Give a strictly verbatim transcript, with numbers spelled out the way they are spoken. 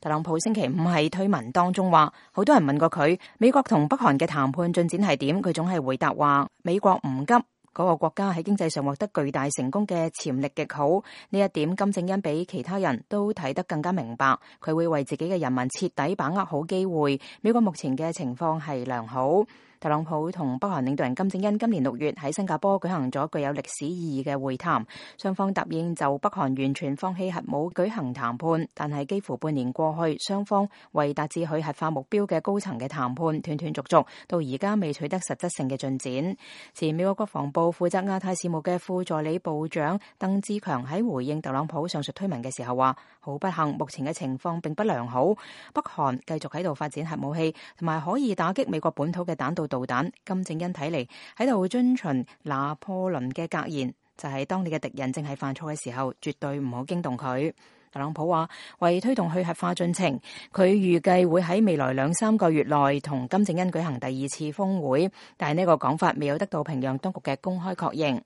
特朗普星期五喺推文當中話，好多人問過佢美國同北韓嘅談判進展係點，佢總係回答話美國唔急，嗰個國家喺經濟上獲得巨大成功嘅潛力極好。呢一點金正恩比其他人都睇得更加明白，佢會為自己嘅人民徹底把握好機會。美國目前嘅情況係良好。特朗普同北韓領導人金正恩今年六月喺新加坡舉行咗具有歷史意義嘅會談，雙方答應就北韓完全放棄核武舉行談判，但係幾乎半年過去，雙方為達至佢核化目標嘅高層嘅談判斷斷續續，到而家未取得實質性嘅進展。前美國國防部負責亞太事務嘅副助理部長鄧志強喺回應特朗普上述推文嘅時候話，好不幸，目前嘅情況並不良好，北韓繼續喺度發展核武器，同埋可以打擊美國本土嘅彈道導彈。金正恩睇嚟喺度遵循拿破崙嘅格言，就係當你嘅敵人正係犯錯嘅時候，絕對唔好驚動佢。特朗普話，為推動去核化進程，佢預計會喺未來兩三個月內同金正恩舉行第二次峰會，但係呢個講法未有得到平壤當局嘅公開確認。